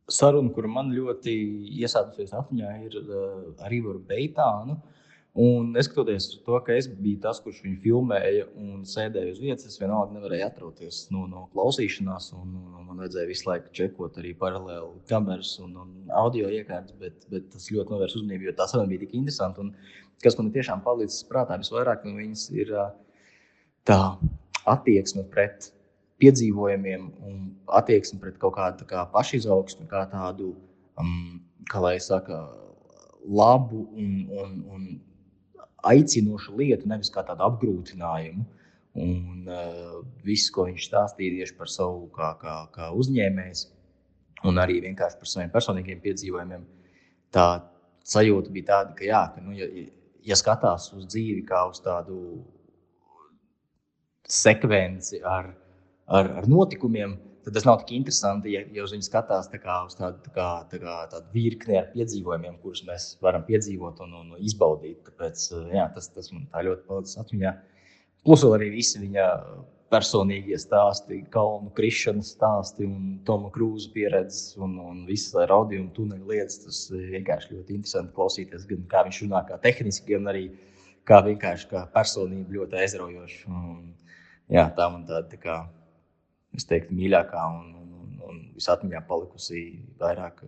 saruna, kura man ļoti iesādusies atmiņā, ir ar Ivaru Beitānu. Un neskatoties uz to, ka es biju tas, kurš viņu filmēja un sēdēju uz vietas, es vienalga nevarēju atrauties no klausīšanās. Man vajadzēja visu laiku čekot arī paralēli kameras un audio iekārtas, bet tas ļoti novērs uzmanību, jo tā saruna bija tik interesanta. Un kas man tiešām palicis prātā visvairāk no viņas ir tā attieksme pret piedzīvojumiem un attieksme pret kaut kādu pašizaugsmi, kā tādu, kā lai saka, labu un aicinošu lietu, nevis kā tādu apgrūtinājumu. Un viss, ko viņš stāstīja tieši par savu kā uzņēmējs un arī vienkārši par saviem personīgiem piedzīvojumiem, tā sajūta bija tāda, ka ja skatās uz dzīvi kā uz tādu sekvenci ar notikumiem, tad tas nav tik interesanti, ja uz viņu skatās uz tādu virkni ar piedzīvojumiem, kurus mēs varam piedzīvot un izbaudīt. Tāpēc tas man tā ļoti palicis atmiņā. Plus vēl arī visi viņa personīgie stāsti, kalnu krišanas stāsti un Toma Krūza pieredzes un visas raudījuma tuneļu lietas. Tas vienkārši ļoti interesanti klausīties, gan kā viņš runā kā tehniski, gan arī kā vienkārši kā personība ļoti aizraujoši. Tā man tāda es teiktu, mīļākā un visatmiņā palikusi vairāk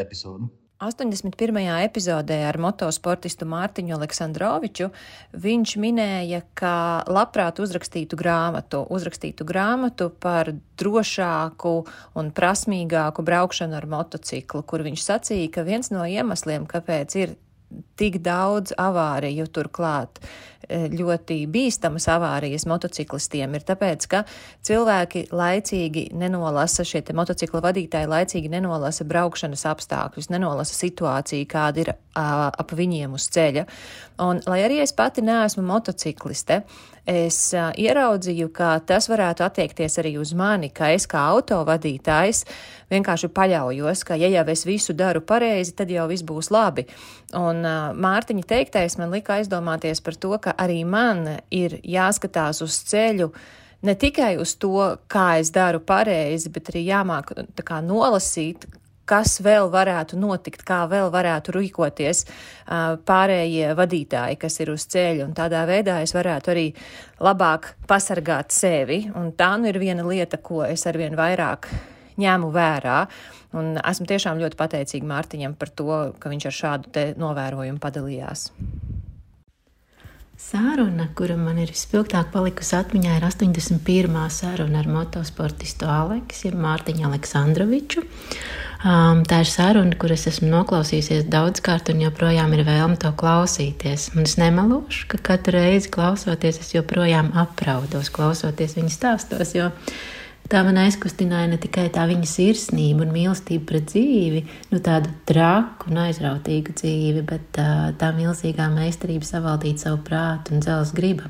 epizodu. 81. epizodē ar motosportistu Mārtiņu Aleksandroviču viņš minēja, ka labprāt uzrakstītu grāmatu par drošāku un prasmīgāku braukšanu ar motociklu, kur viņš sacīja, ka viens no iemesliem, kāpēc ir tik daudz avāriju, turklāt ļoti bīstamas avārijas motociklistiem, ir tāpēc, ka cilvēki laicīgi nenolasa, šie motocikla vadītāji laicīgi nenolasa braukšanas apstākļus, nenolasa situāciju, kāda ir ap viņiem uz ceļa. Un, lai arī es pati neesmu motocikliste, es ieraudzīju, ka tas varētu attiekties arī uz mani, ka es kā autovadītājs vienkārši paļaujos, ka ja jau es visu daru pareizi, tad jau viss būs labi. Un Mārtiņa teiktais man lika aizdomāties par to, ka arī man ir jāskatās uz ceļu ne tikai uz to, kā es daru pareizi, bet arī jāmāk nolasīt, kas vēl varētu notikt, kā vēl varētu rīkoties pārējie vadītāji, kas ir uz ceļa. Un tādā veidā es varētu arī labāk pasargāt sevi. Un tā ir viena lieta, ko es arvien vairāk ņēmu vērā. Un esmu tiešām ļoti pateicīga Mārtiņam par to, ka viņš ar šādu te novērojumu padalījās. Saruna, kura man ir vispilgtāk palikusi atmiņā, ir 81. saruna ar motosportistu Aleksu, jeb Mārtiņu Aleksandroviču. Tā ir saruna, kuras esmu noklausījusies daudzkārt un joprojām ir vēlme to klausīties. Un es nemelošu, ka katru reizi klausoties, es joprojām apraudos, klausoties viņa stāstos, jo tā man aizkustināja ne tikai tā viņa sirsnība un mīlestība pret dzīvi, tādu traku un aizrautīgu dzīvi, bet tā milzīgā meistarība savaldīt savu prātu un dzelzs griba.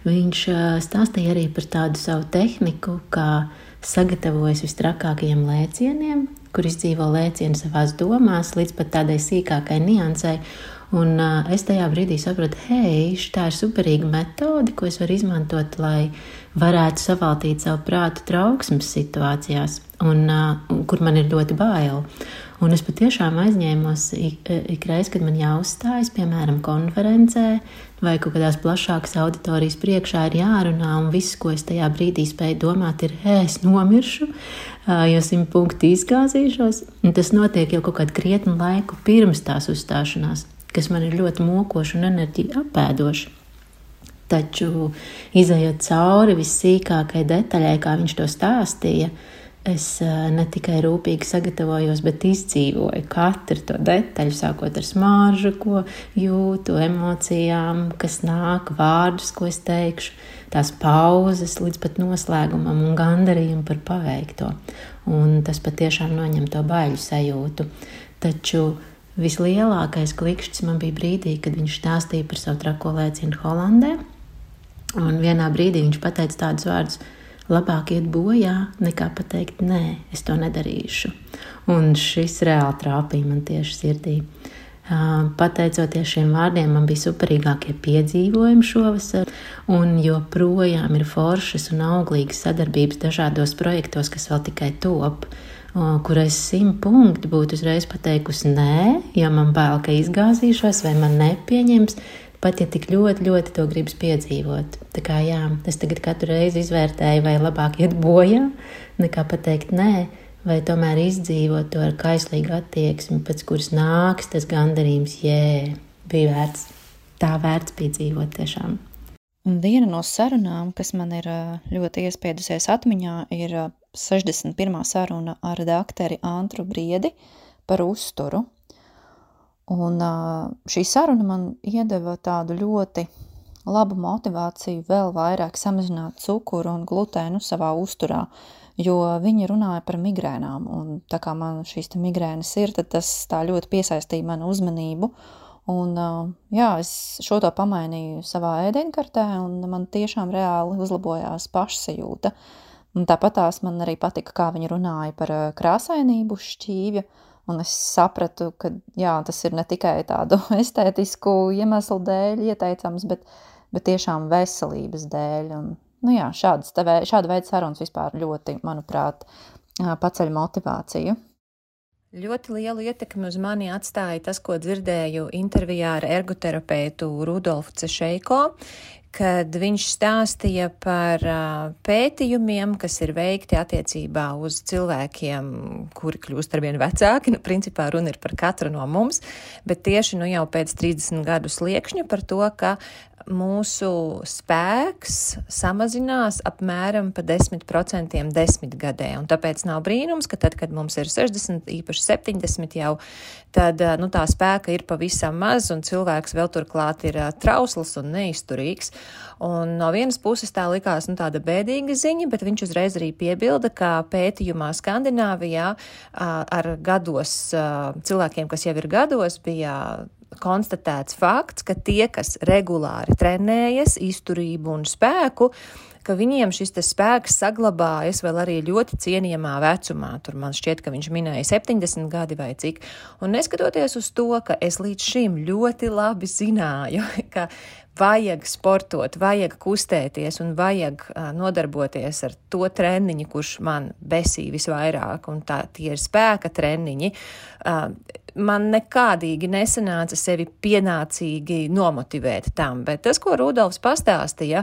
Viņš stāstīja arī par tādu savu tehniku, kā sagatavojas vistrakākajiem lēcieniem, kur izdzīvo lēcienu savās domās, līdz pat tādai sīkākai niansai. Un es tajā brīdī sapratu, tā ir superīga metode, ko es varu izmantot, lai varētu savaldīt savu prātu trauksmes situācijās, un kur man ir ļoti bail. Un es patiešām aizņēmos ikreiz, kad man jāuzstājas, piemēram, konferencē vai kaut kādās plašākas auditorijas priekšā ir jārunā, un viss, ko es tajā brīdī spēju domāt, ir, es nomiršu, jo 100 punkti izgāzīšos. Un tas notiek jau kaut kādu krietnu laiku pirms tās uzstāšanās, kas man ir ļoti mokoši un enerģija apēdoši. Taču, izejot cauri vissīkākai detaļai, kā viņš to stāstīja, es ne tikai rūpīgi sagatavojos, bet izdzīvoju katru to detaļu, sākot ar smāržu, ko jūtu, emocijām, kas nāk, vārdus, ko es teikšu, tās pauzes līdz pat noslēgumam un gandarījumu par paveikto. Un tas patiešām noņem to baiļu sajūtu. Taču vislielākais klikšķis man bija brīdī, kad viņš stāstīja par savu trako lēcienu Holandē. Un vienā brīdī viņš pateica tādus vārdus: labāk iet bojā, nekā pateikt, nē, es to nedarīšu. Un šis reāli trāpīja man tieši sirdī. Pateicoties šiem vārdiem, man bija superīgākie piedzīvojumi šovasar, un joprojām ir foršas un auglīgas sadarbības dažādos projektos, kas vēl tikai top. kur es 100 punktu būtu uzreiz pateikusi nē, jo man bail, ka izgāzīšos vai man nepieņems, pat ja tik ļoti, ļoti to gribas piedzīvot. Tā kā jā, es tagad katru reizi izvērtēju, vai labāk iet bojā, nekā pateikt nē, vai tomēr izdzīvot to ar kaislīgu attieksmi, pēc kuras nāks tas gandarījums, bija vērts. Tā vērts bija dzīvot tiešām. Un viena no sarunām, kas man ir ļoti iespiedusies atmiņā, ir 61. saruna ar dakteri Antru Briedi par uzturu. Un šī saruna man iedeva tādu ļoti labu motivāciju vēl vairāk samazināt cukuru un glutēnu savā uzturā, jo viņi runāja par migrēnām. Un tā kā man šīs migrēnas ir, tad tas tā ļoti piesaistīja manu uzmanību. Un es šo to pamainīju savā ēdienkartē, un man tiešām reāli uzlabojās pašsajūta. Un tāpatās man arī patika, kā viņi runāja par krāsainību šķīvja, un es sapratu, ka tas ir ne tikai tādu estētisku iemeslu dēļ ieteicams, bet tiešām veselības dēļ. Un, šāda veida sarunas vispār ļoti, manuprāt, paceļ motivāciju. Ļoti lielu ietekmi uz mani atstāja tas, ko dzirdēju intervijā ar ergoterapeitu Rudolfu Cešeiko, kad viņš stāstīja par pētījumiem, kas ir veikti attiecībā uz cilvēkiem, kuri kļūst arvien vecāki. Principā runa ir par katru no mums, bet tieši jau pēc 30 gadu sliekšņa par to, ka mūsu spēks samazinās apmēram pa 10% 10 gadē. Un tāpēc nav brīnums, ka tad, kad mums ir 60, īpaši 70 jau, tad tā spēka ir pavisam maz un cilvēks vēl turklāt ir trausls un neizturīgs. Un no vienas puses tā likās tāda bēdīga ziņa, bet viņš uzreiz arī piebilda, ka pētījumā Skandināvijā ar gados cilvēkiem, kas jau ir gados, bija konstatēts fakts, ka tie, kas regulāri trenējas, izturību un spēku, ka viņiem šis spēks saglabājas vēl arī ļoti cienījamā vecumā. Tur man šķiet, ka viņš minēja 70 gadi vai cik. Un neskatoties uz to, ka es līdz šim ļoti labi zināju, ka vajag sportot, vajag kustēties un vajag nodarboties ar to treniņu, kurš man besī visvairāk, un tie ir spēka treniņi, man nekādīgi nesanāca sevi pienācīgi nomotivēt tam. Bet tas, ko Rudolfs pastāstīja,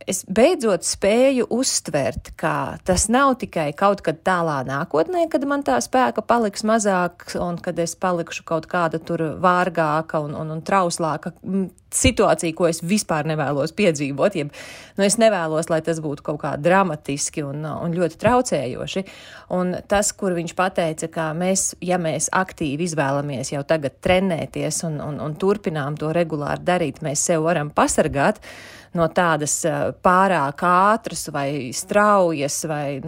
es beidzot spēju uztvert, ka tas nav tikai kaut kad tālā nākotnē, kad man tā spēka paliks mazāk un kad es palikšu kaut kāda tur vārgāka un trauslāka situācija, ko es vispār nevēlos piedzīvot. Es nevēlos, lai tas būtu kaut kā dramatiski un ļoti traucējoši. Un tas, kur viņš pateica, ka mēs aktīvi izvēlamies jau tagad trenēties un turpinām to regulāri darīt, mēs sev varam pasargāt no tādas pārāk ātras vai straujas vai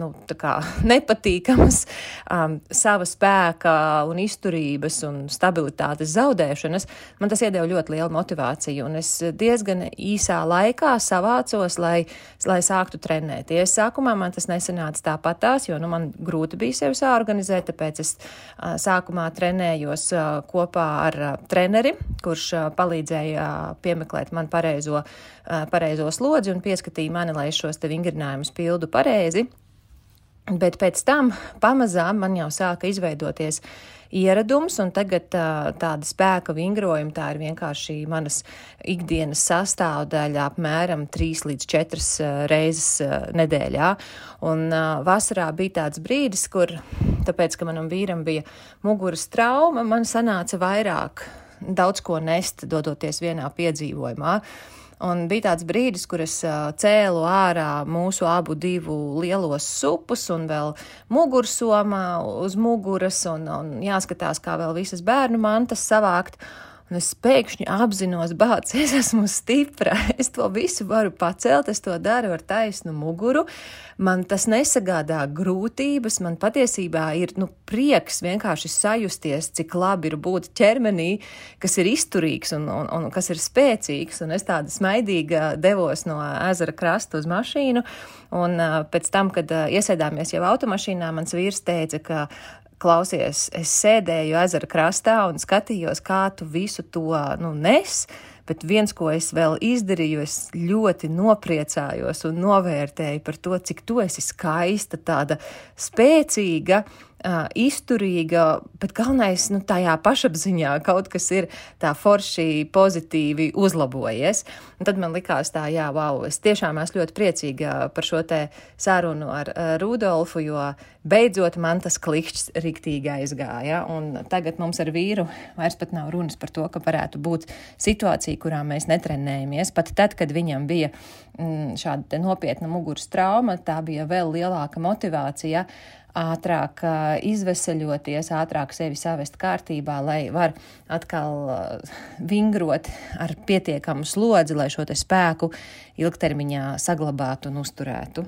nepatīkamas sava spēka un izturības un stabilitātes zaudēšanas, man tas iedeva ļoti lielu motivāciju. Un es diezgan īsā laikā savācos, lai sāktu trenēties. Sākumā man tas nesanāca tāpatās, jo man grūti bija sevi sāorganizēt, tāpēc es sākumā trenējos kopā ar treneri, kurš palīdzēja piemeklēt man pareizo slodzi un pieskatīja mani, lai šos vingrinājumus pildu pareizi. Bet pēc tam pamazām man jau sāka izveidoties ieradums, un tagad tāda spēka vingrojuma, tā ir vienkārši manas ikdienas sastāvdaļa apmēram 3 līdz 4 reizes nedēļā. Un vasarā bija tāds brīdis, kur, tāpēc, ka manam vīram bija muguras trauma, man sanāca vairāk daudz ko nest, dodoties vienā piedzīvojumā. Un bija tāds brīdis, kur es cēlu ārā mūsu abu divu lielos supus un vēl mugursomā uz muguras un jāskatās, kā vēl visas bērnu mantas savākt. Un es pēkšņi apzinos, es esmu stipra, es to visu varu pacelt, es to daru ar taisnu muguru. Man tas nesagādā grūtības, man patiesībā ir prieks vienkārši sajusties, cik labi ir būt ķermenī, kas ir izturīgs un kas ir spēcīgs. Un es tāda smaidīga devos no ezera krasta uz mašīnu, un pēc tam, kad iesēdāmies jau automašīnā, mans vīrs teica, ka klausies, es sēdēju ezera krastā un skatījos, kā tu visu to nes, bet viens, ko es vēl izdarīju, es ļoti nopriecājos un novērtēju par to, cik tu esi skaista, tāda spēcīga, izturīga, bet galvenais, tajā pašapziņā kaut kas ir tā forši pozitīvi uzlabojies. Un tad man likās tā, es tiešām esmu ļoti priecīga par šo te sarunu ar Rudolfu, jo beidzot man tas klikšķis riktīgi aizgāja. Un tagad mums ar vīru vairs pat nav runas par to, ka varētu būt situācija, kurā mēs netrenējamies. Pat tad, kad viņam bija šāda te nopietna muguras trauma, tā bija vēl lielāka motivācija ātrāk izveseļoties, ātrāk sevi savest kārtībā, lai var atkal vingrot ar pietiekamu slodzi, lai šo te spēku ilgtermiņā saglabātu un uzturētu.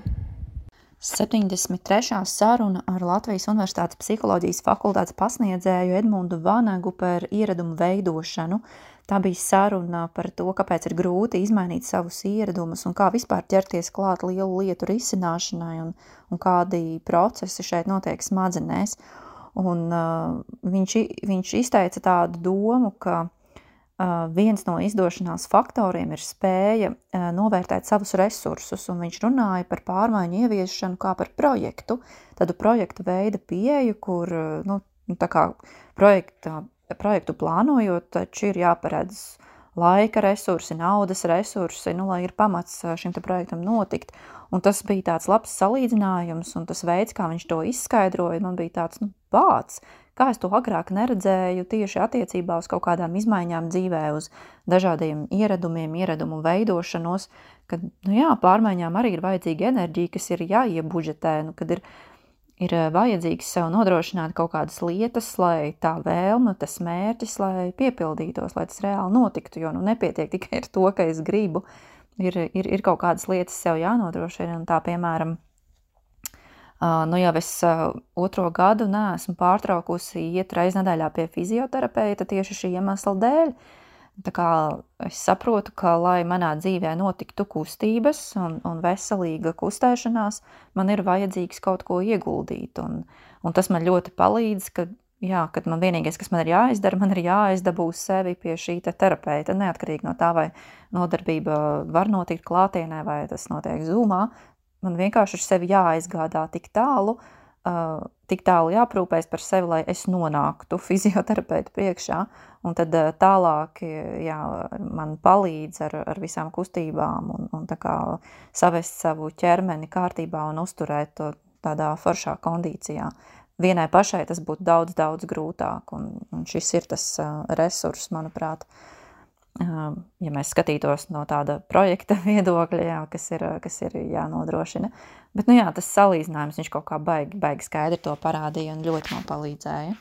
73. saruna ar Latvijas Universitātes psiholoģijas fakultātes pasniedzēju Edmundu Vanagu par ieradumu veidošanu. Tā bija saruna par to, kāpēc ir grūti izmainīt savus ieradumus un kā vispār ķerties klāt lielu lietu risināšanai un kādi procesi šeit notiek smadzenēs. Un viņš izteica tādu domu, ka viens no izdošanās faktoriem ir spēja novērtēt savus resursus, un viņš runāja par pārmaiņu ieviešanu kā par projektu, tādu projektu veida pieeju, kur, tā kā projektu plānojot, taču ir jāparedz laika resursi, naudas resursi, lai ir pamats šim te projektam notikt. Un tas bija tāds labs salīdzinājums, un tas veids, kā viņš to izskaidroja, man bija tāds, bāds, kā es to agrāk neredzēju tieši attiecībā uz kaut kādām izmaiņām dzīvē, uz dažādiem ieradumiem, ieradumu veidošanos, kad, pārmaiņām arī ir vajadzīga enerģija, kas ir jāiebudžetē, kad ir vajadzīgs sev nodrošināt kaut kādas lietas, lai tā vēlme, tas mērķis, lai piepildītos, lai tas reāli notiktu, jo nepietiek tikai ar to, ka es gribu, ir kaut kādas lietas sev jānodrošina, un tā, piemēram, jau es 2. gadu neesmu pārtraukusi iet reiz nedēļā pie fizioterapeita tieši šī iemesla dēļ. Tā kā es saprotu, ka, lai manā dzīvē notiktu kustības un veselīga kustēšanās, man ir vajadzīgs kaut ko ieguldīt. Un tas man ļoti palīdz, kad man vienīgais, kas man ir jāizdara, man ir jāizdabū sevi pie šī terapeita, neatkarīgi no tā, vai nodarbība var notikt klātienē, vai tas notiek Zoomā. Man vienkārši ir sevi jāaizgādā tik tālu jāprūpēs par sevi, lai es nonāktu fizioterapeita priekšā, un tad tālāk man palīdz ar visām kustībām un tā kā savest savu ķermeni kārtībā un uzturēt to tādā foršā kondīcijā. Vienai pašai tas būtu daudz, daudz grūtāk, un šis ir tas resurs, manuprāt, ja mēs skatītos no tāda projekta viedokļa, kas ir jānodrošina. Bet, tas salīdzinājums, viņš kaut kā baigi skaidri to parādīja un ļoti man palīdzēja.